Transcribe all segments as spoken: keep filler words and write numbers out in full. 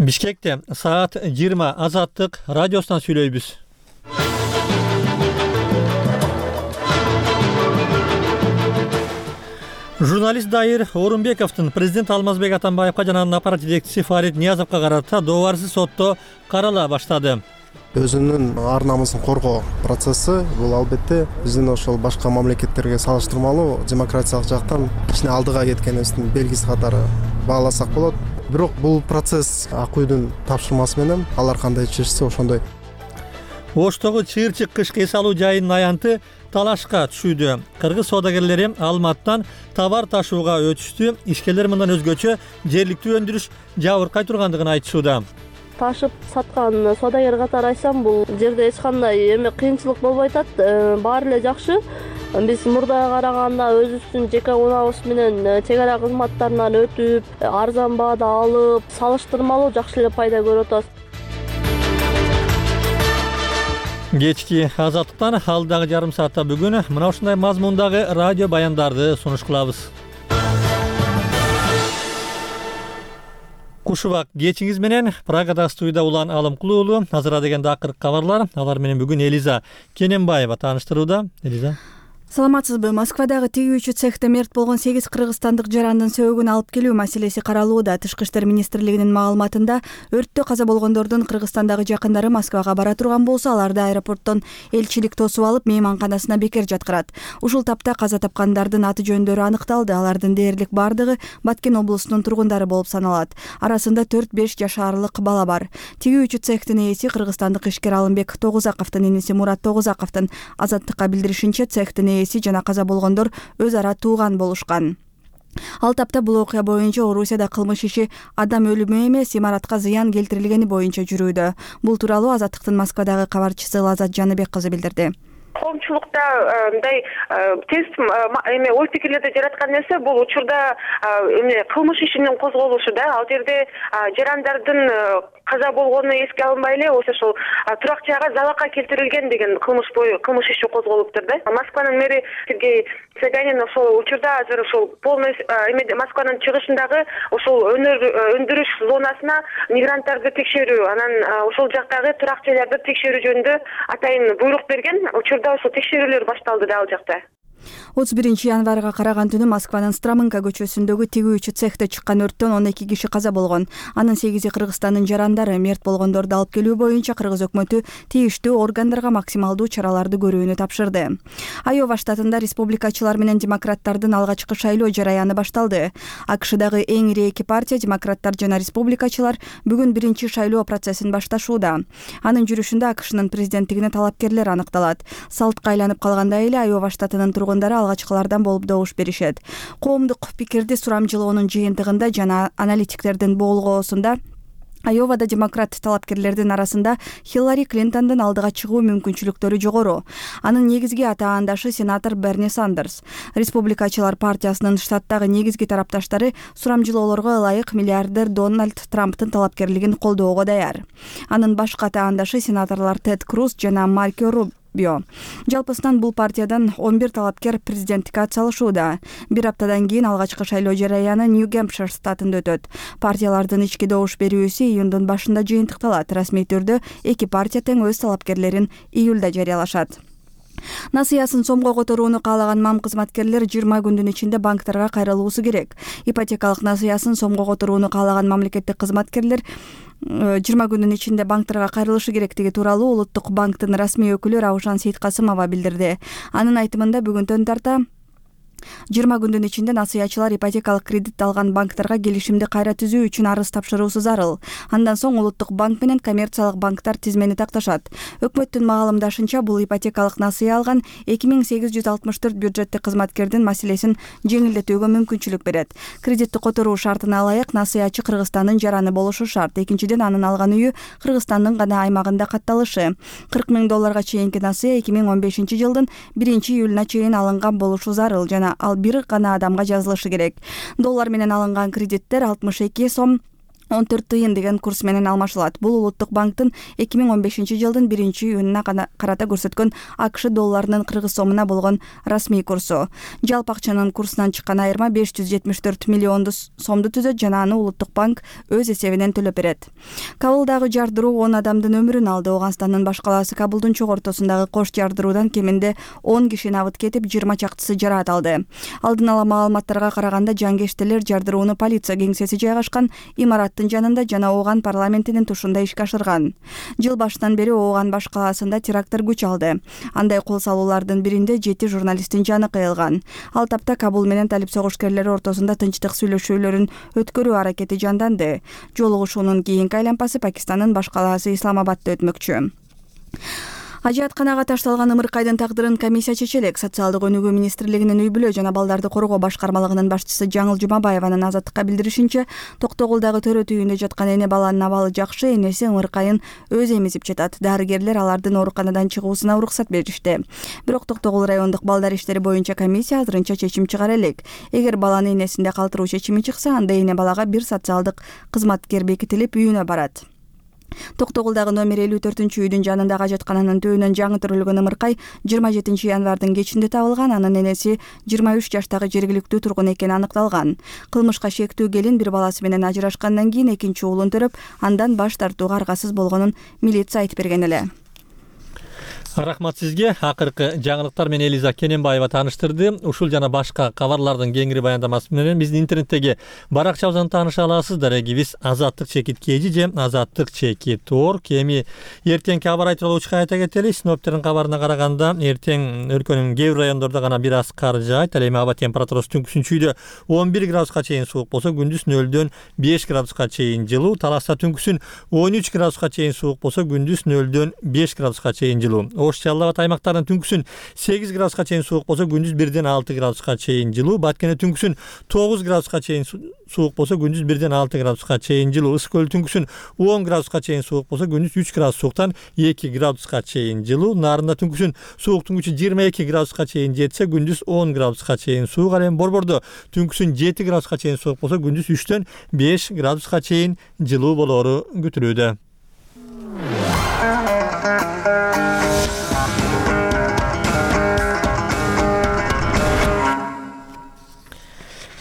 Бишкекте саат жыйырма Азаттык радиосунан сүйлөйбүз. Журналист Дайыр Орунбековдун президент Алмазбек Атамбаевга жана анын аппарат жетекчиси Фарид Ниязовго карата доорсуз сотто карала баштады. Өзүнүн ар намысын коргоо процесси бул албетте биздин ошол башка мамлекеттерге салыштырмалуу демократиялык жактан кичине алдыга кеткенибиздин белгиси катары бааласак болот. Бирок бул процесс ак үйдүн тапшырмасы менен алар кандай чечсе ошондой. Оштогу чыйырчык кышкы эс алуу жайынын аянты талашка түшүүдө. Кыргыз соодагерлери Алматтан товар ташууга өтүштү. Ишкерлер мындан өзгөчө жергиликтүү өндүрүш жабыркай тургандыгын айтышууда. Ташып саткан соодагер катары айтсам, бул жерде эч кандай эме кыйынчылык болбой атат. Баары эле жакшы. Биз мурдага караганда өзүбүздүн жеке унаабыз менен чек ара кызматтарынан өтүп, арзан баада алып, салыштырмалуу жакшы эле пайда көрүп атабыз. Кечки Азаттыктан алдагы жарым саатта бүгүн мына ушундай мазмундагы радио баяндарды сунуш кылабыз. Кушубак кечиңиз менен Прагада студияда Улан Алымкулуу уулу. Азыр дегенде акыркы кабарлар. Алар менен бүгүн Элиза Кененбаева тааныштырууда. Элиза. Саламатсызбы? Москвадагы тигүүчү цехте мерт болгон сегиз кыргызстандык жарандын сөөгүн алып келүү маселеси каралууда. Тышкы иштер министрлигинин маалыматында өрттө каза болгондордун Кыргызстандагы жакындары Москвага бара турган болсо, аларды аэропорттон элчилик тосуп алып, мейманканасына бекер жаткырат. Ушул тапта каза тапкандардын аты жөндөрү аныкталды. Алардын дээрлик бардыгы Баткен облусунун тургундары болуп саналат. Арасында төрт-беш жаш аралык бала бар. Тигүүчү цехтин ээси кыргызстандык ишкер Алымбек Тогузаковдун иниси Мурат Тогузаковдун Азаттыкка билдиришинче, цехтин жана каза болгондор өз ара тууган болушкан. Ал тапта бул окуя боюнча Орусияда кылмыш иши адам өлүмү эмес, имаратка зыян келтирилгени боюнча жүрүүдө. Бул тууралуу Азаттыктын Москвадагы кабарчысы Лазат Жаныбек кызы билдирди. Коомчулукта мындай тез эме ой пикирлерди жараткан нерсе бул учурда эме кылмыш ишинин козголушу да. Ал жерде жарандардын каза болгону эске алынбай эле ошол турак жайга залалга келтирилген деген кылмыш бою кылмыш иши козголуптур да. Москванын мэри Сергей Собянин ошол учурда азыр ошол полный эме Москванын чыгышындагы ошол өндүрүш зонасына мигранттарды текшерүү, анан ошол жактагы турак жайларды текшерүү жөнүндө атайын буйрук берген. Учурда ошол текшерүүлөр башталды да ал жакта. отуз биринчи январга караган түнү Москванын Стромынка көчөсүндөгү тигүүчү цехте чыккан өрттөн он эки киши каза болгон. Анын сегизи Кыргызстандын жарандары. Мерт болгондорду алып келүү боюнча Кыргыз өкмөтү тийиштүү органдарга максималдуу чараларды көрүүнү тапшырды. Айова штатында республикачылар менен демократтардын алгачкы шайлоо жараяны башталды. АКШдагы эң ири эки партия, демократтар жана республикачылар, бүгүн биринчи шайлоо процессин башташууда. Анын жүрүшүндө АКШнын президенттигине талапкерлер аныкталат. Салтка айланып калгандай эле Айова штатынын тургундары алгачкылардан болуп добуш беришет. Коомдук пикирди сурамжылоонун жыйынтыгында жана аналитиктердин болгоосунда Айовада демократ талапкерлердин арасында Хиллари Клинтондун алдыга чыгуу мүмкүнчүлүктөрү жогору. Анын негизги атаандашы сенатор Берни Сандерс. Республикачылар партиясынын штаттагы негизги тарапташтары сурамжылоолорго ылайык миллиардер Дональд Трамптын талапкерлигин колдоого даяр. Анын башка атаандашы сенаторлор Тед Круз жана Марко Рубио. Жалпысынан бул партиядан он бир талапкер президенттикке атсалышууда. Бир аптадан кийин алгачкы шайлоо жараяны Нью-Гэмпшир штатында өтөт. Партиялардын ички добуш берүүсү июндун башында жыйынтыкталат. Расмий түрдө эки партия тең өз талапкерлерин июлда жарыялашат. Насыясын сомго которууну каалаган мам кызматкерлер жыйырма күндүн ичинде банктарга кайрылуусу керек. Ипотекалык насыясын сомго которууну каалаган мамлекеттик кызматкерлер жыйырма күндүн ичинде банктарга кайрылышы керектиги тууралуу Улуттук банктын расмий өкүлү Раушан Сейткасымова билдирди. Анын айтымында бүгүнтөн тарта жыйырма күндүн ичинде насыячылар ипотекалык кредит алган банктарга келишимди кайра түзүү үчүн арыз тапшыруусу зарыл. Андан соң Улуттук банк менен коммерциялык банктар тизмени такташат. Өкмөттүн маалымдашынча, бул ипотекалык насыя алган эки миң сегиз жүз алтымыш төрт бюджеттик кызматкердин маселесин жеңилдетүүгө мүмкүнчүлүк берет. Кредитти которуу шартына ылайык насыячы Кыргызстандын жараны болушу шарт. Экинчиден, анын алган үйү Кыргызстандын гана аймагында катталышы. кырк миң долларга чейинки насыя эки миң он бешинчи жылдын биринчи июлуна чейин алынган болушу зарыл жана ал бир гана адамга жазылышы керек. Доллар менен алынган кредиттер алтымыш эки сом он төрт тыйын деген курс менен алмашылат. Бул Улуттук банктын эки миң он бешинчи жылдын биринчи июнуна карата көрсөткөн АКШ долларынын кыргыз сомуна болгон расмий курсу. Жалпы акчанын курсунан чыккан айырма беш жүз жетимиш төрт миллион сомду түзөт жана аны Улуттук банк өз эсебинен төлөп берет. Кабулдагы жардыруу он адамдын өмүрүн алды. Ооганстандын баш калаасы Кабулдун чок ортосундагы кош жардыруудан кеминде он киши набыт кетип, жыйырма чактысы жараат алды. Алдын ала маалыматтарга караганда жангештелер жардырууну полиция кеңсеси жайгашкан имараттын жанында жана Ооган парламентинин тушунда ишке ашырган. Жыл башынан бери Ооган баш калаасында теракттар күч алды. Андай кол салуулардын биринде жети журналисттин жаны кыйылган. Ал тапта Кабул менен талип согушкерлери ортосунда тынчтык сүйлөшүүлөрүн өткөрүү аракети жанданды. Жолугушуунун кийинки айлампасы Пакистандын баш калаасы Исламабадда өтмөкчү. Ажыатканага ташталган ымыркайдын тагдырын комиссия чечелек. Социалдык өнүгүү министрлигинин үй бүлө жана балдарды коргоо башкармалыгынын башчысы Жаңыл Жумабаеванын Азаттыкка билдиришинче, Токтогулдагы төрөт үйүндө жаткан эне баланын абалы жакшы, энеси ымыркайын өзү эмизип жатат. Дарыгерлер алардын ооруканадан чыгуусуна уруксат беришти. Бирок Токтогул райондук балдар иштери боюнча комиссия азырынча чечим чыгара элек. Эгер баланы энесинде калтыруу чечими чыкса, анда эне балага бир социалдык кызматкер бекитилип үйүнө барат. Токтогулдагы номер элүү төртүнчү үйдүн жанындагы ажаткананын төбүнөн жаңы төрөлгөн ымыркай жыйырма жетинчи январдын кечинде табылган. Анын энеси жыйырма үч жаштагы жергиликтүү тургун экени аныкталган. Кылмышка шектүү келин бир баласы менен ажырашкандан кийин экинчи уулун төрөп, андан баш тартууга аргасыз болгонун милиция айтып берген эле. Рахмат сизге. Акыркы жаңылыктар менен Элиза Кененбаева тааныштырды. Ушул жана башка кабарлардын кеңири баяндамасы менен биздин интернеттеги баракчабыздан тааныша аласыздар. Эгибиз азаттык чекит кеji же азаттык чекит орг. Эми эртеңки аба ырайы тууралуу айта кетели. Синоптиктердин кабарына караганда эртең өлкөнүн кээ бир райондордо гана бир аз кар жаайт. Ал эми аба температурасы түнкүсүн чүйдө он бир градуска чейин суук болсо, күндүз нөлдөн беш градуска чейин жылуу. Таласта түнкүсүн он үч градуска чейин суук болсо, күндүз нөлдөн беш градуска чейин жылуу. Ош Жалал Абад аймактарынын түнкүсүн сегиз градуска чейин суук болсо, күндүз бирден алты градуска чейин жылуу. Баткене түнкүсүн тогуз градуска чейин суук болсо, күндүз бирден алты градуска чейин жылуу. Ысык көл түнкүсүн он градуска чейин суук болсо, күндүз үч градус сууктан эки градуска чейин жылуу. Нарында түнкүсүн сууктун күчү жыйырма эки градуска чейин жетсе, күндүз он градуска чейин суук. Ал эми Борбордо түнкүсүн жети градуска чейин суук болсо, күндүз үчтөн беш градуска чейин жылуу болоору күтүлүүдө.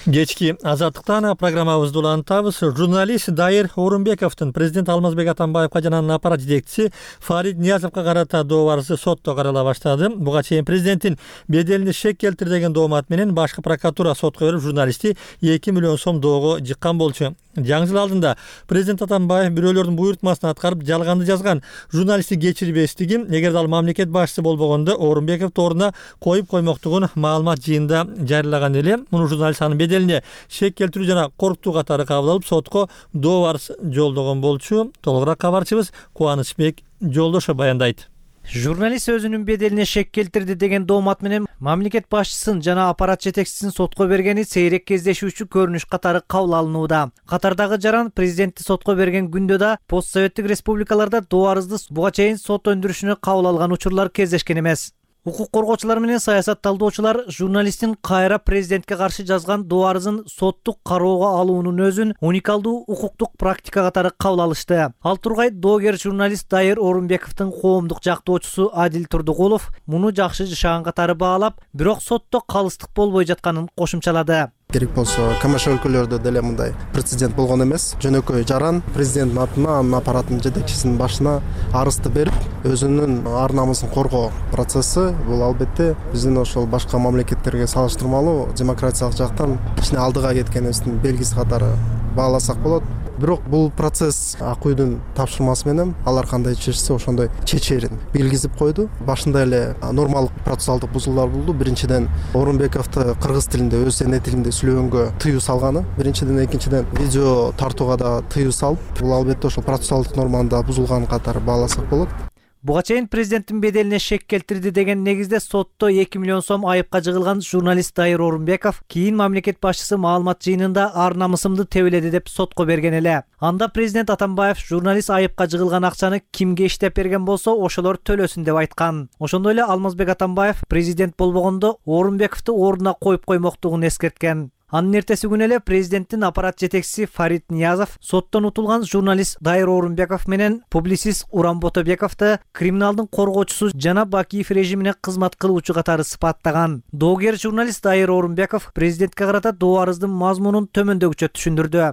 Кечки азаттыктан программабызды улантабыз. Журналист Дайыр Орунбековдун президент Алмазбек Атамбаевга жана анын аппарат жетекчиси Фарид Ниязовго карата доо арызы сотто карала баштады. Буга чейин президенттин беделине шек келтир деген доомат менен башкы прокуратура сотко берип, журналистти эки миллион сом доого жыккан болчу. Жаңы жыл алдында президент Атамбаев бирөөлөрдүн буйртмасын аткарып жалганды жазган журналистти кечирбестигин, эгерде ал мамлекет башчысы болбогондо Орунбековду ордуна коюп коймоктугун маалымат жыйында жарыялаган эле. Муну журналист анын беделине шек келтирүү жана коркутуу катары кабыл алып, сотко доо арыз жолдогон болчу. Толугураак кабарчыбыз Кубанычбек Жолдошов баяндайт. Журналист өзүнүн беделине шек келтирди деген доомат менен мамлекет башчысын жана аппарат жетекчисин сотко бергени сейрек кездешүүчү көрүнүш катары кабыл алынууда. Катардагы жаран президентти сотко берген күндө да постсоветтик республикаларда доо арызды буга чейин сот өндүрүшүнө кабыл алган учурлар кездешкен эмес. Укук коргоочулар менен саясат талдоочулар журналисттин кайра президентке каршы жазган доо арызын соттук кароого алуунун өзүн уникалдуу укуктук практика катары кабыл алышты. Ал тургай доогер журналист Дайыр Орунбековдун коомдук жактоочусу Адил Турдугулов муну жакшы жашаган катары баалап, бирок сотто калыстык болбой жатканын кошумчалады. Керек болсо КМШ өлкөлөрдө деле мындай прецедент болгон эмес. Жөнөкөй жаран президенттин атына, анын аппараттын жетекчисинин башына арызды берип, өзүнүн ар намысын коргоо процесси бул албетте биздин ошол башка мамлекеттерге салыштырмалуу демократиялык жактан кичине алдыга кеткенибиздин белгиси катары бааласак болот. Бирок бул процесс ак үйдүн тапшырмасы менен алар кандай чечсе ошондой чечерин белгизип койду. Башында эле нормалык процессуалдык бузуулар болду. Биринчиден Орунбековду кыргыз тилинде, өз эне тилинде сүйлөгөнгө тыюу салганы. Биринчиден, экинчиден видео тартууга да тыюу салып, бул албетте ошол процессуалдык норманы да бузулган катары бааласак болот. Буга чейин президенттин беделине шек келтирди деген негизде сотто эки миллион сом айыпка жыгылган журналист Дайыр Орунбеков кийин мамлекет башчысы маалымат жыйынында ар намысымды тебеледи деп сотко берген эле. Анда президент Атамбаев журналист айыпка жыгылган акчаны кимге иштеп берген болсо ошолор төлөсүн деп айткан. Ошондой эле Алмазбек Атамбаев президент болбогондо Орунбековду ордуна коюп коймоктугун эскерткен. Анын эртеси күнү эле президенттин аппарат жетекчиси Фарид Ниязов соттон утулган журналист Дайыр Орунбеков менен публицист Уран Ботобековду криминалдын коргоочусу жана Бакиев режимине кызмат кылуучу катары сыпаттаган. Доогер журналист Дайыр Орунбеков президентке карата доо арыздын мазмунун төмөндөгүчө түшүндүрдү.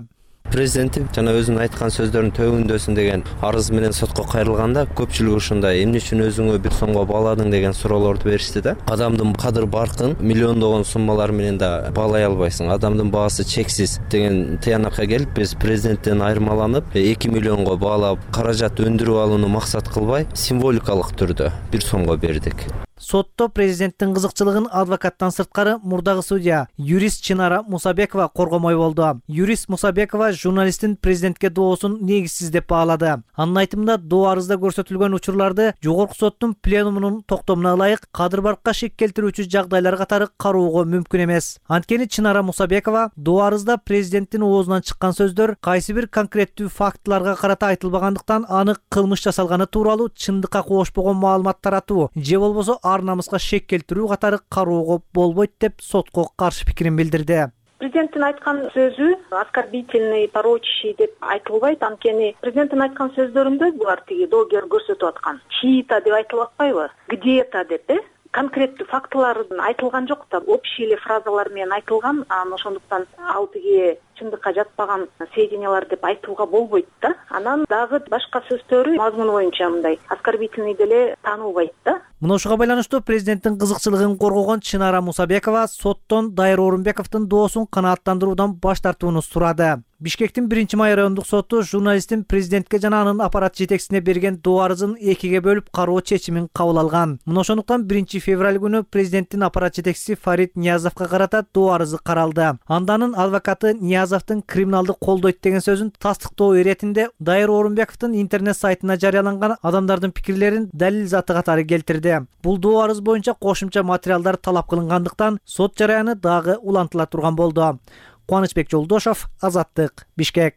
Президенти жана өзүнүн айткан сөздөрүн төбүндөсүн деген арыз менен сотко кайрылганда көпчүлүк ушундай эмне үчүн өзүңө бир сомго бааладың деген суроолорду беришти да. Адамдын кадыр баркын миллиондогон суммалар менен да баалай албайсың. Адамдын баасы чексиз деген тыянакка келип биз президенттен айырмаланып эки миллионго баалап каражат өндүрүп алууну максат кылбай символикалык түрдө бир сомго бердик. Сотто президенттин кызыкчылыгын адвокаттан сырткары мурдагы судья юрист Чынара Мусабекова коргомой болду. Юрист Мусабекова журналисттин президентке доосун негизсиз деп баалады. Анын айтымында доо арызда көрсөтүлгөн учурларды жогорку соттун пленумунун токтомуна ылайык кадыр баркка шек келтирүүчү жагдайлар катары кароого мүмкүн эмес. Анткени Чынара Мусабекова доо арызда президенттин оозунан чыккан сөздөр кайсы бир конкреттүү фактыларга карата айтылбагандыктан анык кылмыш жасалганы тууралуу чындыкка кошпогон маалымат таратуу же болбосо ар намыска шек келтирүү катары кароого болбойт деп сотко каршы пикирин билдирди. Президенттин айткан сөзү оскорбительный, порочащий деп айтылбайт. Анткени президенттин айткан сөздөрүндө булар тиги доогер көрсөтүп аткан чьи-то деп айтылып атпайбы? Где-то деп э? Конкреттүү фактылар айтылган жок да, общий эле фразалар менен айтылган. Анан ошондуктан ал тиги чындыкка жатпаган сведениялар деп айтууга болбойт да. Анан дагы башка сөздөрү мазмуну боюнча мындай оскорбительный деле танылбайт да. Мына ушуга байланыштуу президенттин кызыкчылыгын коргогон Чынара Мусабекова соттон Дайыр Орунбековдун доосун канааттандыруудан баш тартууну сурады. Бишкектин биринчи май райондук соту журналисттин президентке жана анын аппарат жетекчисине берген доо арызын экиге бөлүп кароо чечимин кабыл алган. Мына ошондуктан биринчи февраль күнү президенттин аппарат жетекчиси Фарид Ниязовго карата доо арызы каралды. Анда анын адвокаты Ниязовдун криминалды колдойт деген сөзүн тастыктоо иретинде Дайыр Орунбековдун интернет сайтына жарыяланган адамдардын пикирлерин далил заты катары келтирди. Бул доо арыз боюнча кошумча материалдар талап кылынгандыктан сот жараяны дагы улантыла турган болду. Кубанычбек Жолдошов, Азаттык, Бишкек.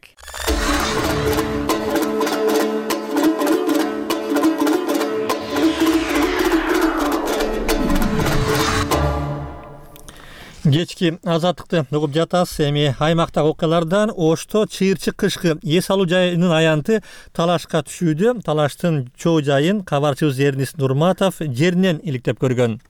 Кечки Азаттыкты угуп жатасыз. Эми аймактагы окуялардан Ошто чыйырчык кышкы эс алуу жайынын аянты талашка түшүүдө. Талаштын чоо жайын кабарчыбыз Эрнис Нурматов жеринен иликтеп көргөн.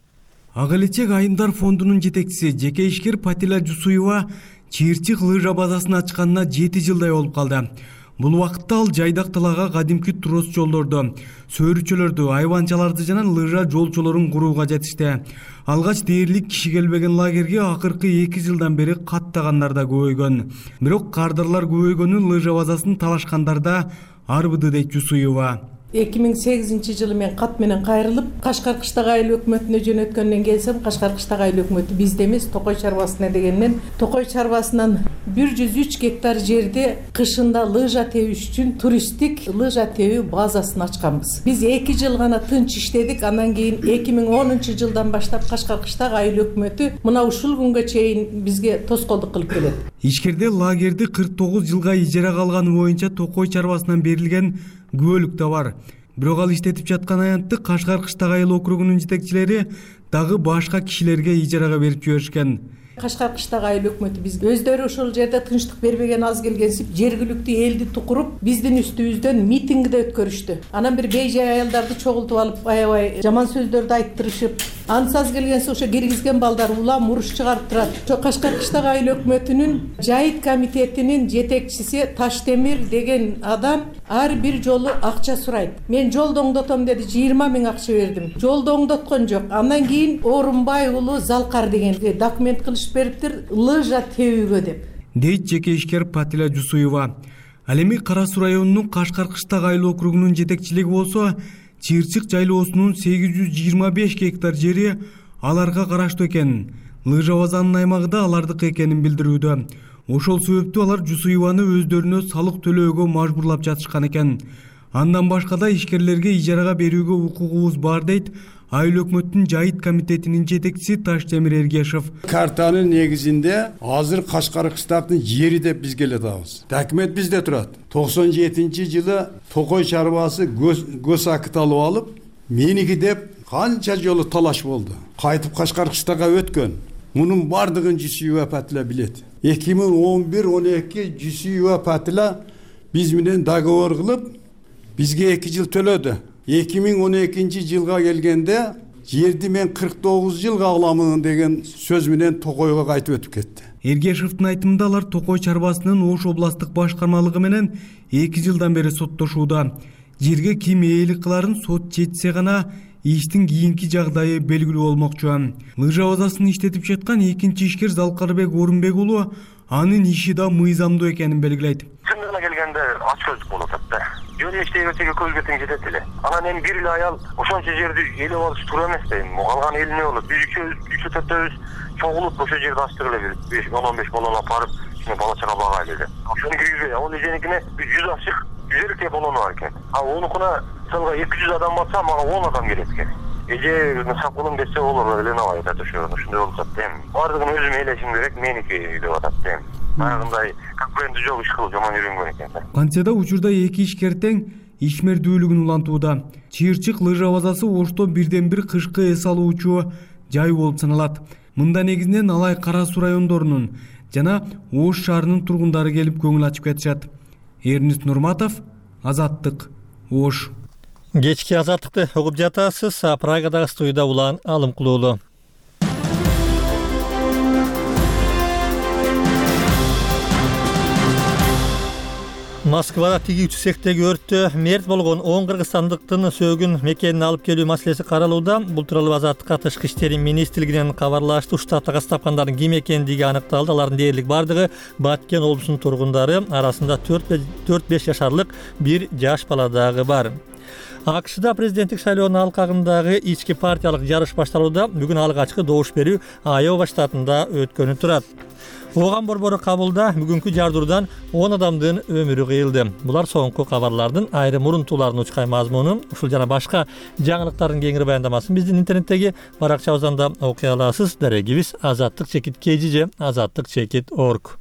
Ак элечек айымдар фондунун жетекчиси жеке ишкер Патила Жусуева чыйырчык лыжа базасын ачканына жети жылдай болуп калды. Бул убакытта ал жайдак талаага кадимки трос жолдорду, сөөрүчөлөрдү, айванчаларды жана лыжа жолчолорун курууга жетишти. Алгач дээрлик киши келбеген лагерге акыркы эки жылдан бери каттагандар да көбөйгөн. Бирок кардарлар көбөйгөнү лыжа базасын талашкандар да арбыды дейт Жусуева. эки миң сегизинчи жылы мен кат менен кайрылып Кашкар кыштак айыл өкмөтүнө жөнөткөндөн келсем, Кашкар кыштак айыл өкмөтү бизде эмес, Токой чарбасына дегенмен, Токой чарбасынан бир жүз үч гектар жерде кышында лыжа тебиш үчүн туристтик лыжа тебүү базасын ачканбыз. Биз эки жыл гана тынч иштедик, андан кийин эки миң онунчу жылдан баштап Кашкар кыштак айыл өкмөтү мына ушул күнгө чейин бизге тоскоолдук кылып келет. Ишкерде лагерди кырк тогуз жылга ижарага алганы боюнча Токой чарбасынан берилген күбөлүк да бар. Бирок ал иштетип жаткан аянтты Кашкар кыштак айыл округунун жетекчилери дагы башка кишилерге ижарага берип жиберишкен. Кашкар кыштак айыл өкмөтү биз өздөрү ошол жерде тынчтык бербеген аз келгенсип жергиликтүү элди тукуруп биздин үстүбүздөн митинг да өткөрүштү. Анан бир бейжай аялдарды чогултуп алып аябай жаман сөздөрдү айттырышып, анысы аз келгенси ошо киргизген балдар улам уруш чыгарып турат. Ошо Кашкар кыштак айыл өкмөтүнүн жайыт комитетинин жетекчиси Таштемир деген адам ар бир жолу акча сурайт. Мен жолду оңдотом деди, жыйырма миң акча бердим. Жолду оңдоткон жок. Андан кийин Орунбай уулу Залкар деген документ кылышып бериптир лыжа тебүүгө деп. Дейт жеке ишкер Патила Жусуева. Ал эми Кара Суу районунун Кашкар кыштак айыл округунун жетекчилиги болсо, чыйырчык жайлоосунун сегиз жүз жыйырма беш гектар жери аларга караштуу экен. Лыжа базанын аймагы да алардыкы экенин билдирүүдө. Ошол себептүү алар Жусуеваны өздөрүнө салык төлөөгө мажбурлап жатышкан экен. Андан башка да ишкерлерге ижарага берүүгө укугубуз бар дейт айыл өкмөттүн жайыт комитетинин жетекчиси Таштемир Эргешев. Картанын негизинде азыр Кашкар кыштактын жери деп биз келе атабыз. Документ бизде турат. токсон жетинчи жылы Токой чарбасы көз акыт алып алып, меники деп канча жолу талаш болду. Кайтып Кашкар кыштакка өткөн. мунун бардыгын Жусуева апатыла билет. эки миң он бир он эки Жусуева апатыла биз менен договор кылып, бизге эки жыл төлөдү. эки миң он экинчи жылга келгенде жерди мен кырк тогуз жылга аламын деген сөз менен Токойго кайтып өтүп кетти. Эргешевдин айтымында алар Токой чарбасынын Ош областтык башкармалыгы менен эки жылдан бери соттошууда. Жерге ким ээлик кыларын сот чечсе гана иштин кийинки жагдайы белгилүү болмокчу. Лыжа базасын иштетип жаткан экинчи ишкер Залкарбек Орунбек уулу анын иши да мыйзамдуу экенин белгилейт. Чындыгына келгенде ачкөздүк болуп атат да. Жөн иштей берсеге көзгө тең жетет эле. Анан эми бир эле аял ошончо жерди ээлеп алыш туура эмес да. Эми калган эл эмне болот? Биз үчөө төртөөбүз чогулуп ошо жерди ачтык эле бир он он беш баланы алып барып, ичине бала чага багайлы эле. Ошону киргизбей, ал эженикине жүз ачык, жүз элүү баланы бар экен. А онукуна мисалга эки жүз адам батса, мага он адам келет экен. Эже сакылым десе болор эле набайт ошо. Ошондой болуп атат эми. Бардыгын өзүм элешим керек, меники деп атат эми. Баягындай конкуренттүү жок иш кылып жаман үйрөнгөн экен да. Кантсе да учурда эки ишкер тең ишмердүүлүгүн улантууда. Чыйырчык лыжа базасы Ошто бирден бир кышкы эс алуучу жай болуп саналат. Мында негизинен Алай Кара Суу райондорунун жана Ош шаарынын тургундары келип көңүл ачып кетишат. Эрнист Нурматов, Азаттык, Ош. Кечки Азаттыкты угуп жатасыз. Прагадагы студияда Улан Алымкулуулу. Москвада тигүүчү цехтеги өрттө мерт болгон он кыргызстандыктын сөөгүн мекенине алып келүү маселеси каралууда. Бул тууралуу Азаттыкка Тышкы иштер министрлигинен кабарлашты. Штатта каз тапкандардын ким экендиги аныкталды. Алардын дээрлик бардыгы Баткен облусунун тургундары, арасында төрт беш жашарлык бир жаш бала дагы бар. АКШда президенттик шайлоонун алкагындагы ички партиялык жарыш башталууда. Бүгүн алгачкы добуш берүү Айова штатында өткөнү турат. Ооган борбору кабылда бүгүнкү жардыруудан он адамдын өмүрү кыйылды. Булар соңку кабарлардын айрым урунтууларынын учкай мазмуну. Ушул жана башка жаңылыктардын кеңири баяндамасын биздин интернеттеги баракчабыздан да окуй аласыз. Дарегибиз азаттык чекит kgj азаттык чекит орг.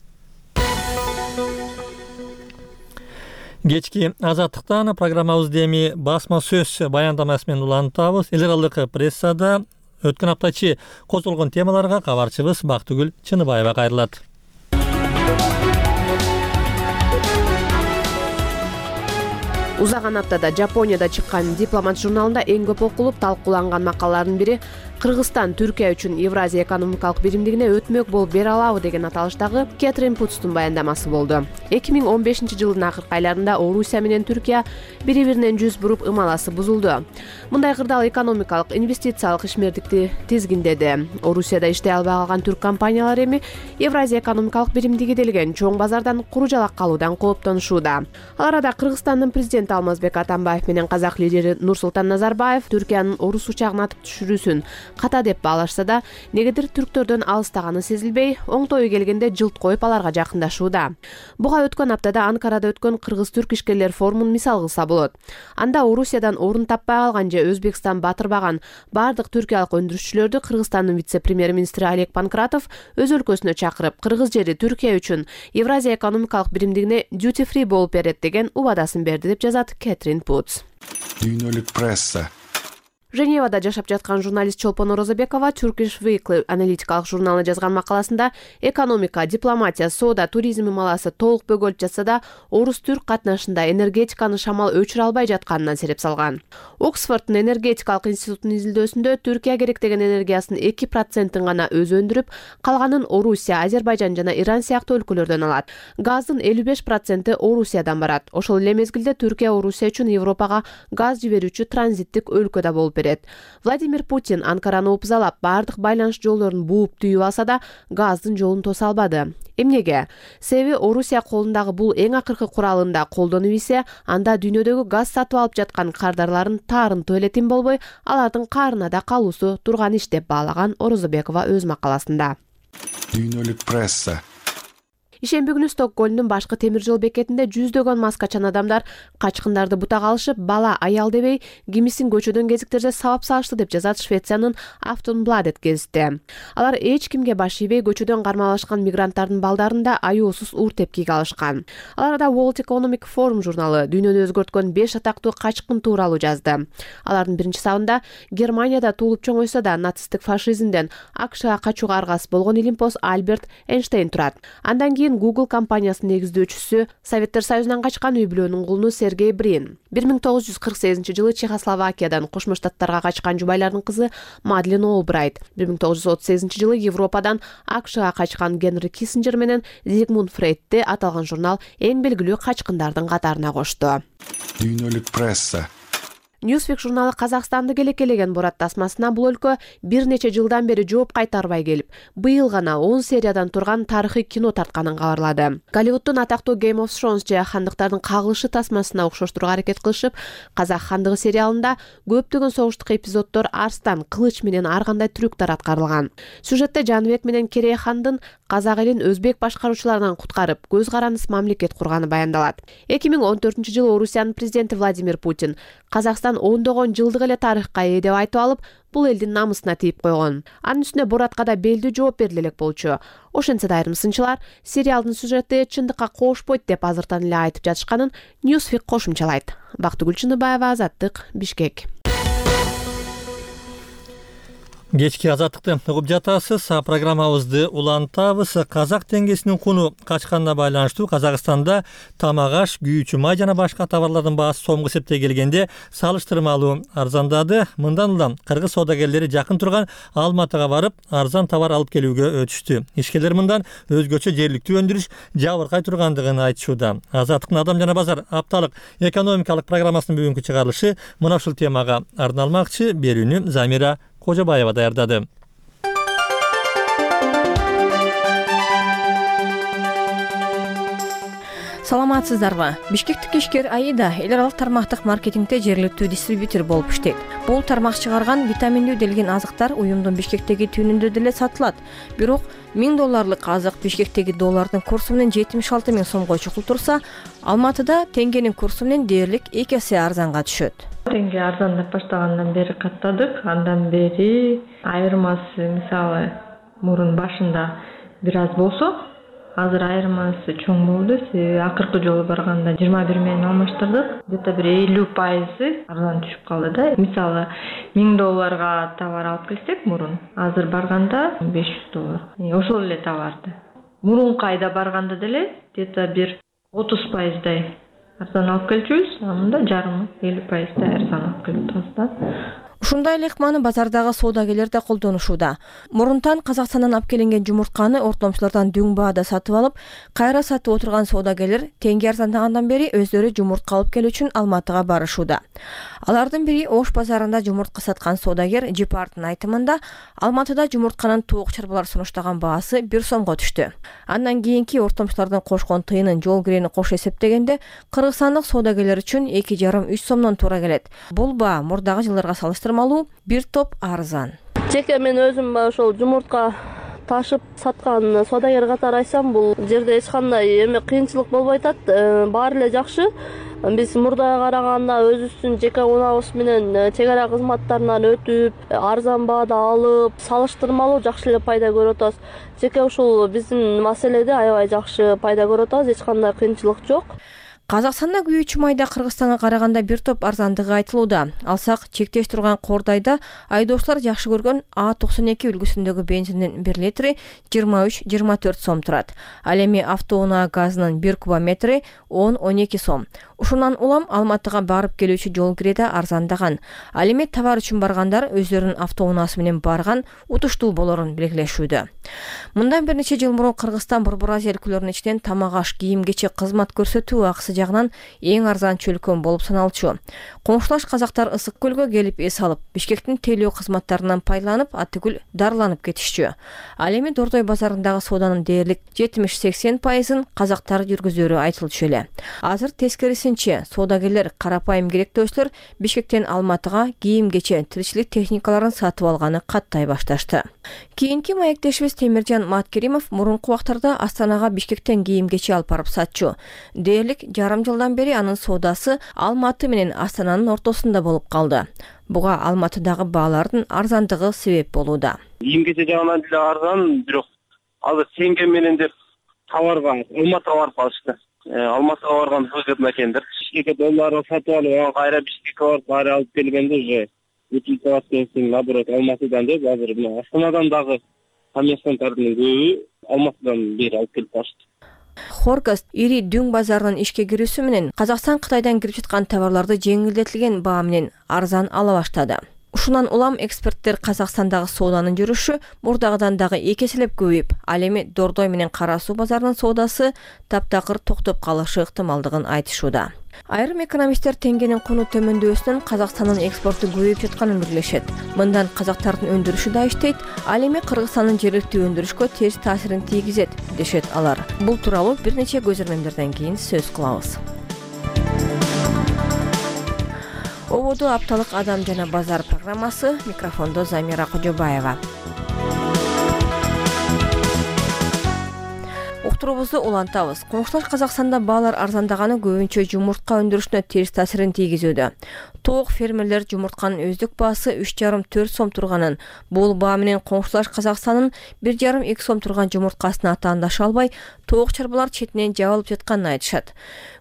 Кечки Азаттыктан программабызды эми басма сөз баяндамасы менен улантабыз. Эл аралык прессада өткөн аптачы козголгон темаларга кабарчыбыз Бактыгүл Чыныбаева кайрылат. Узаган аптада Жапонияда чыккан Дипломат журналында эң көп окулуп талкууланган макалалардын бири Кыргызстан Түркия үчүн Евразия экономикалык биримдигине өтмөк болуп бере алабы деген аталыштагы Кэтрин Путстун баяндамасы болду. эки миң он бешинчи жылдын акыркы айларында Орусия менен Түркия бири-биринен жүз буруп ымаласы бузулду. Мындай кырдаал экономикалык, инвестициялык ишмердикти тизгиндеди. Орусияда иштей албай калган түрк компаниялары эми Евразия экономикалык биримдиги делген чоң базардан куружалак калуудан кооптонушууда. Ал арада Кыргызстандын президенти Алмазбек Атамбаев менен казак лидери Нурсултан Назарбаев Түркиянын орус учагын атып түшүрүүсүн ката деп баалашса да, негедир түрктөрдөн алыстаганы сезилбей, оңтою келгенде жылт коюп аларга жакындашууда. Буга өткөн аптада Анкарада өткөн кыргыз-түрк ишкерлер форумун мисал кылса болот. Анда Орусиядан орун таппай калган же Өзбекстан батырбаган бардык түркиялык өндүрүшчүлөрдү Кыргызстандын вице-премьер-министри Олег Панкратов өз өлкөсүнө чакырып, кыргыз жери Түркия үчүн Евразия экономикалык биримдигине duty free болуп берет деген убадасын берди деп жазат Кэтрин Путс. Дүйнөлүк пресса. Женевада жашап жаткан журналист Чолпон Орозобекова Turkish Weekly аналитикалык журналына жазган макаласында экономика, дипломатия, соода, туризм ымаласы толук бөгөлүп жатса да, орус-түрк катнашында энергетиканы шамал өчүрө албай жатканынан сереп салган. Оксфорддун энергетикалык институтунун изилдөөсүндө Түркия керектеген энергиясынын эки процентин гана өзү өндүрүп, калганын Орусия, Азербайжан жана Иран сыяктуу өлкөлөрдөн алат. Газдын элүү беш проценти Орусиядан барат. Ошол эле мезгилде Түркия Орусия үчүн Европага газ жиберүүчү транзиттик өлкө да болуп берет. Владимир Путин Анкараны опузалап, бардык байланыш жолдорун бууп түйүп алса да, газдын жолун тоса албады. Эмнеге? Себеби Орусия колундагы бул эң акыркы куралында колдонуп ийсе, анда дүйнөдөгү газ сатып алып жаткан кардарларын таарынтуу эле тим болбой, алардын каарына да калуусу турган иш деп баалаган Орозобекова өз макаласында. Дүйнөлүк пресса. Ишемби күнү Стокгольмдун башкы темир жол бекетинде жүздөгөн маскачан адамдар качкындарды бутага алышып, бала аял дебей кимисин көчөдөн кезиктерде сабап салышты деп жазат Швециянын Aftonbladet гезити. Алар эч кимге баш ийбей көчөдөн кармалашкан мигранттардын балдарын да аюусуз уур тепкиге алышкан. Алар да World Economic Forum журналы дүйнөнү өзгөрткөн беш атактуу качкын тууралуу жазды. Алардын биринчи сабында Германияда туулуп чоңойсо да нацисттик фашизмден АКШга качууга аргасыз болгон илимпоз Альберт Эйнштейн турат. Андан кийин Google компаниясынын негиздөөчүсү, Советтер Союзунан качкан үй-бүлөнүн кулуну Сергей Брин. бир миң тогуз жүз кырк сегизинчи жылы Чехословакиядан Кошмо Штаттарга качкан жубайлардын кызы Мадлен Олбрайт, бир миң тогуз жүз отуз сегизинчи жылы Европадан АКШга качкан Генри Киссинджер менен Зигмунд Фрейдти аталган журнал эң белгилүү качкындардын катарына кошту. Дүйнөлүк пресса. Newsweek журналы Казакстанды келекелеген Борат тасмасына бул өлкө бир нече жылдан бери жооп кайтарбай келип, быйыл гана он сериядан турган тарыхый кино тартканын кабарлады. Голливуддун атактуу Game of Thrones же хандыктардын кагылышы тасмасына окшоштурууга аракет кылышып, Казак хандыгы сериалында көптөгөн согуштук эпизоддор арстан, кылыч менен ар кандай трюктар аткарылган. Сюжетте Жаныбек менен Керей хандын казак элин өзбек башкаруучуларынан куткарып, көз карандыс мамлекет курганы баяндалат. эки миң он төртүнчү жылы Орусиянын президенти Владимир Путин Казакстан ондогон жылдык эле тарыхка ээ деп айтып алып, бул элдин намысына тийип койгон. Анын үстүнө Боратка да белдүү жооп бериле элек болчу. Ошентсе да айрым сынчылар сериалдын сюжети чындыкка кошпойт деп азыртан эле айтып жатышканын Newsweek кошумчалайт. Бактыгүл Чыныбаева, Азаттык, Бишкек. Кечки азаттыкты угуп жатасыз. Программабызды улантабыз. Казак теңгесинин куну качканына байланыштуу Казакстанда тамак аш, күйүүчү май жана башка товарлардын баасы сомго эсептей келгенде салыштырмалуу арзандады. Мындан улам кыргыз соодагерлери жакын турган Алматыга барып, арзан товар алып келүүгө өтүштү. Ишкерлер мындан өзгөчө жергиликтүү өндүрүш жабыркай тургандыгын айтышууда. Азаттыктын Адам жана базар апталык экономикалык программасынын бүгүнкү чыгарылышы мына ушул темага арналмакчы. Берүүнү Замира Кожобаева даярдады. Саламатсыздарбы? Бишкектик ишкер Аида эл аралык тармактык маркетингде жергиликтүү дистрибьютор болуп иштейт. Бул тармак чыгарган витаминдүү делген азыктар уюмдун Бишкектеги түйүнүндө деле сатылат. Бирок миң долларлык азык Бишкектеги доллардын курсу менен жетимиш алты миң сомго чукул турса, Алматыда теңгенин курсу менен дээрлик эки эсе арзанга түшөт. Теңге арзандап баштагандан бери каттадык. Андан бери айырмасы мисалы мурун башында бир аз болсо, азыр айырмасы чоң болду. Акыркы жолу барганда жыйырма бир менен алмаштырдык. Где-то бир элүү пайызы арзан түшүп калды да. Мисалы миң долларга товар алып келсек мурун, азыр барганда беш жүз доллар. Ошол эле товарды. Мурунку айда барганда деле где-то бир отуз пайыздай арзан алып келчүбүз, анда жарымы элүү пайыздай арзан алып келип атабыз да. Ушундай эле ыкманы базардагы соодагерлер да колдонушууда. Мурунтан Казакстандан алып келинген жумуртканы ортомчулардан дүң баада сатып алып, кайра сатып отурган соодагерлер теңге арзандагандан бери өздөрү жумуртка алып келүү үчүн Алматыга барышууда. Алардын бири Ош базарында жумуртка саткан соодагер Жипардын айтымында, Алматыда жумуртканын тоок чарбалар сунуштаган баасы бир сомго түштү. Андан кийинки ортомчулардын кошкон тыйынын жол кирени кош эсептегенде, кыргызстандык соодагерлер үчүн эки жарым үч сомдон туура келет. Бул баа мурдагы жылдарга салыштырмалуу бир топ арзан. Жеке мен өзүм ошол жумуртка ташып саткан соодагер катары айтсам, бул жерде эч кандай эме кыйынчылык болбой атат. Баары эле жакшы. Биз мурдага караганда өзүбүздүн жеке унабыз менен чек ара кызматтарынан өтүп, арзан баада алып, салыштырмалуу жакшы эле пайда көрүп атабыз. Жеке ушул биздин маселеде аябай жакшы пайда көрүп атабыз, эч кандай кыйынчылык жок. Казакстанда күйүүчү майда Кыргызстанга караганда бир топ арзандыгы айтылууда. Алсак, чектеш турган Кордайда айдоочулар жакшы көргөн А токсон эки үлгүсүндөгү бензиндин бир литри жыйырма үч жыйырма төрт сом турат. Ал эми автоунаа газынын бир кубометри он он эки сом. Ушундан улам Алматыга барып келүүчү жол киреде арзандаган. Ал эми товар үчүн баргандар өздөрүнүн автоунаасы менен барган утуштуу болорун белгилешүүдө. Мындан бир нече жыл мурун Кыргызстан Борбор Азия өлкөлөрүнүн ичинен тамак аш, кийим кечек, кызмат көрсөтүү акысы жагынан эң арзан чөлкөм болуп саналчу. Коңшулаш казактар ысык көлгө келип эс алып, Бишкектин тейлөө кызматтарынан пайдаланып, атүгүл дарыланып кетишчү. Ал эми Дордой базарындагы сооданын дээрлик жетимиш-сексен пайызын казактар жүргүзөрү айтылчу эле. Азыр тескерисинче, соодагерлер карапайым керектөөслөр Бишкектен Алматыга кийим-кече, тиричилик техникаларын сатып алганы каттай башташты. Кийинки маектешибиз Темиржан Маткеримов мурунку убактарда Астанага Бишкектен кийим-кече алып барып сатчу. Дээрлик жарым жылдан бери анын соодасы Алматы менен Астананын ортосунда болуп калды. Буга Алматыдагы баалардын арзандыгы себеп болууда. Кийим-кече жагынан деле арзан, бирок азыр теңге менен деп товарга Алматыга барып калышты. Алматыга барган выгодно экендир. Бишкекке долларды сатып алып, аны кайра Бишкекке барып кайра алып келгенде уже утилизациясын наоборот Алматыдан деп азыр мына Астанадан дагы коммерсанттардын көбү Алматыдан бери алып келип барышты. Хоргост ири дүң базарынын ишке кирүүсү менен Казакстан Кытайдан кирип жаткан товарларды жеңилдетилген баа менен арзан ала баштады. Ушундан улам эксперттер Казакстандагы сооданын жүрүшү мурдагыдан дагы эки эселеп көбөйүп, ал эми Дордой менен Кара Суу базарынын соодасы таптакыр токтоп калышы ыктымалдыгын айтышууда. Айрым экономисттер теңгенин куну төмөндөсүнөн Казакстандын экспорту көбөйүп жатканын белгилешет. Мындан казактардын өндүрүшү да иштейт, ал эми Кыргызстандын жергиликтүү өндүрүшкө терс таасирин тийгизет, дешет алар. Бул тууралуу бир нече көзөрмөмдөрдөн кийин сөз кылабыз. Ободу апталык адам жана базар программасы, микрофондо Замира Кожобаева. Уктуруубузду улантабыз. Коңшулаш Казакстанда баалар арзандаганы көбүнчө жумуртка өндүрүшүнө терс таасирин тийгизүүдө. Тоок фермерлер жумуртканын өздүк баасы үч жарым төрт сом турганын, бул баа менен Коңшулаш Казакстандын бир жарым эки сом турган жумурткасына атаандаша албай, тоок чарбалар четинен жабылып жатканын айтышат.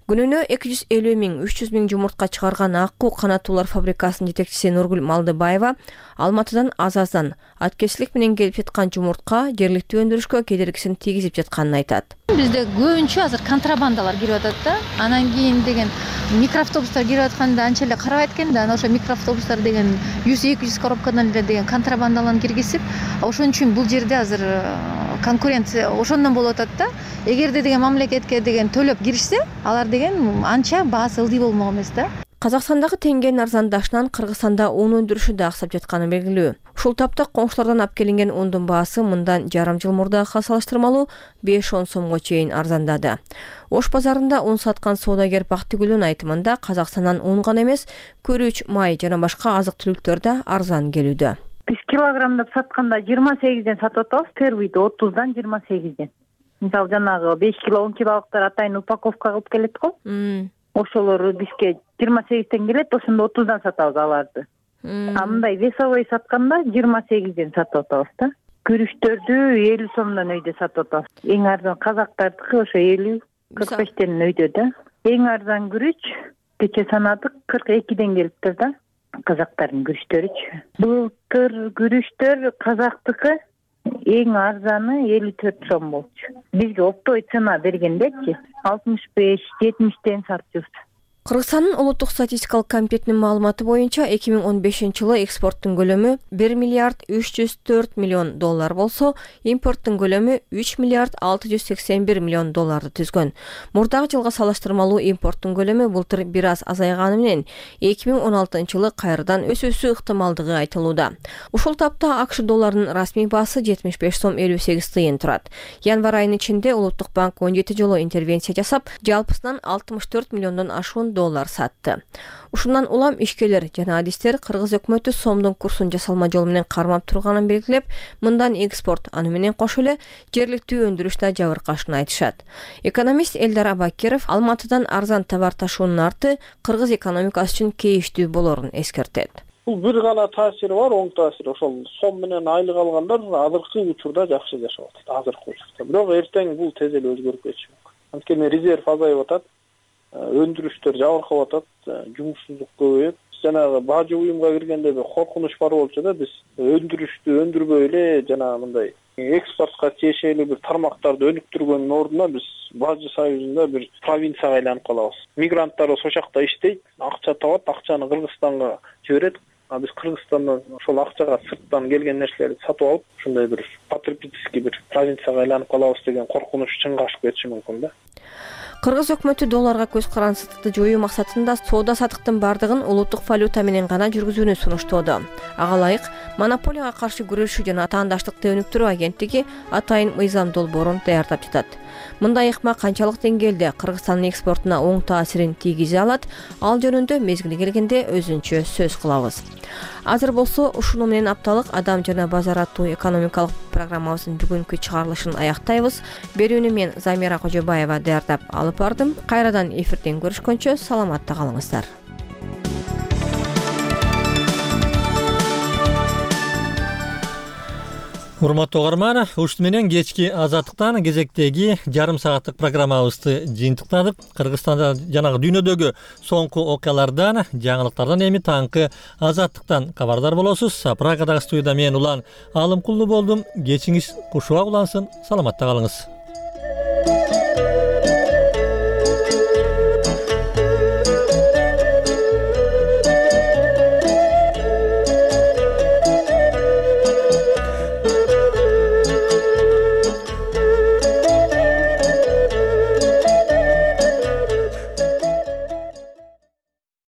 Күнүнө эки жүз элүү миң үч жүз миң жумуртка чыгарган Аккуу канаттуулар фабрикасынын жетекчиси Нургүл Малдыбаева Алматыдан аз-аздан аткечилик менен келип жаткан жумуртка жергиликтүү өндүрүшкө кедергисин тийгизип жатканын айтат. Бизде көбүнчө азыр контрабандалар кирип атат да. Анан кийин деген микроавтобустар кирип атканда анча эле карабайт экен да. Анан ошо микроавтобустар деген жүз эки жүз коробкадан эле деген контрабандаларын киргизип, ошон үчүн бул жерде азыр конкуренция ошондон болуп атат да. Эгерде деген мамлекетке деген төлөп киришсе, алар деген анча баасы ылдый болмок эмес да. Казакстандагы теңгенин арзандашынан Кыргызстанда ун өндүрүшү да аксап жатканы белгилүү. Ушул тапта коңшулардан алып келинген ундун баасы мындан жарым жыл мурдагыга салыштырмалуу беш он сомго чейин арзандады. Ош базарында ун саткан соодагер Бактыгүлдүн айтымында Казакстандан ун гана эмес, күрүч, май жана башка азык-түлүктөр да арзан келүүдө. Биз килограммдап сатканда жыйырма сегизден сатып атабыз, первыйды отузддан жыйырма сегизден. Мисалы жанагы беш кило он килолуктар атайын упаковка кылып келет го. Ошолор бизге жыйырма сегизден келет, ошондо отузддан сатабыз аларды. А мындай весовой сатканда жыйырма сегизден сатып атабыз да. Күрүчтөрдү элүү сомдон өйдө сатып атабыз. Эң арзан казактардыкы ошо элүү кырк бештен өйдө да. Эң арзан күрүч кече санадык кырк экиден келиптир да. Казактардын күрүчтөрүчү. Былтыр күрүчтөр казактыкы эң арзаны элүү төрт сом болчу. Бизге оптовый цена бергендечи алтымыш беш жетимиштен сатчубуз. Кыргызстандын улуттук статистикалык комитетинин маалыматы боюнча эки миң он бешинчи жылы экспорттун көлөмү бир миллиард үч жүз төрт миллион доллар болсо, импорттун көлөмү үч миллиард алты жүз сексен бир миллион долларды түзгөн. Мурдагы жылга салыштырмалуу импорттун көлөмү былтыр бир аз азайганы менен эки миң он алтынчы жылы кайрадан өсүүсү ыктымалдыгы айтылууда. Ушул тапта АКШ долларынын расмий баасы жетимиш беш сом элүү сегиз тыйын турат. Январь айынын ичинде Улуттук банк он жети жолу интервенция жасап, жалпысынан алтымыш төрт миллиондон ашуун доллар сатты. Ушундан улам ишкерлер жана адистер Кыргыз өкмөтү сомдун курсун жасалма жол менен кармап турганын белгилеп, мындан экспорт, аны менен кошо эле жергиликтүү өндүрүш да жабыркашын айтышат. Экономист Элдар Абакиров Алматыдан арзан товар ташуунун арты Кыргыз экономикасы үчүн кейиштүү болорун эскертет. Бул бир гана таасири бар, оң таасири. Ошол сом менен айлык алгандар азыркы учурда жакшы жашап атат, азыркы учурда. Бирок эртең бул тез эле өзгөрүп кетиши мүмкүн. Анткени резерв азайып атат, өндүрүштөр жабыркап атат, жумушсуздук көбөйөт. Жанагы бажы уюмга киргенде бир коркунуч бар болчу да, биз өндүрүштү өндүрбөй эле жана мындай экспортко тиешелүү бир тармактарды өнүктүргөндүн ордуна биз Бажы союзунда бир провинцияга айланып калабыз. Мигранттар ошол жакта иштейт, акча табат, акчаны Кыргызстанга жиберет. А биз Кыргызстандан ошол акчага сырттан келген нерселерди сатып алып, ушундай бир потребительский бир провинцияга айланып калабыз деген коркунуч чынга ашып кетиши мүмкүн да. Кыргыз өкмөтү долларга көз карансыздыкты жоюу максатында соода саттыктын бардыгын улуттук валюта менен гана жүргүзүүнү сунуштоодо. Ага ылайык монополияга каршы күрөшүү жана атаандаштыкты өнүктүрүү агенттиги атайын мыйзам долбоорун даярдап жатат. Мындай ыкма канчалык деңгээлде Кыргызстандын экспортуна оң таасирин тийгизе алат, ал жөнүндө мезгили келгенде өзүнчө сөз кылабыз. Азыр болсо ушуну менен апталык Адам жана базар аттуу экономикалык программабыздын бүгүнкү чыгарылышын аяктайбыз. Берүүнү мен Замира Кожобаева даярдап алып бардым. Кайрадан эфирден көрүшкөнчө саламатта калыңыздар. Урматтуу угарман, ушун менен кечки Азаттыктан кезектеги жарым сааттык программабызды жыйынтыктадык. Кыргызстанда жанагы дүйнөдөгү соңку окуялардан, жаңылыктардан эми таңкы Азаттыктан кабардар болосуз. Прагадагы студияда мен Улан Алымкулду болдум. Кечиңиз кушуга улансын. Саламатта калыңыз.